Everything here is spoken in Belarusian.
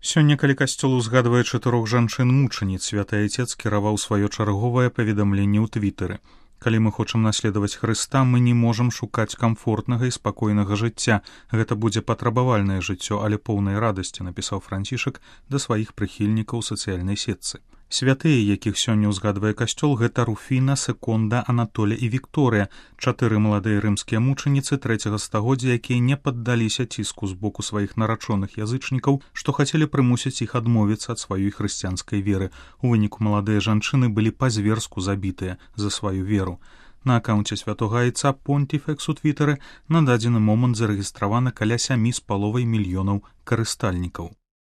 Сёння, калі касцёл узгадвае 4 жанчын-мучаніц, святы Айцец кіраваў сваё чарговае паведамленне ў твітары. Калі мы хочам наследаваць Хрыста, мы не можам шукаць камфортнага і спакойнага жыцця. Гэта будзе патрабавальнае жыццё, але поўнай радасці, напісаў Францішак да сваіх прыхільнікаў у сацыяльнай сетцы. Святыя, якіх сёння ўзгадвае касцёл, гэта Руфіна, Секонда, Анатоля і Вікторыя, 4 маладыя рымскія мучаніцы 3 стагоддзя, якія не паддаліся ціску з боку сваіх нарачоных язычнікаў, што хацелі прымусіць іх адмовіцца ад сваёй хрысціянскай веры. У выніку маладыя жанчыны былі па-зверску забітыя за сваю веру. На акаунце святога Айца Понтіфекс у твітары на дадзены момант зарэгістравана каля 7,5 мільёнаў карыстальнікаў.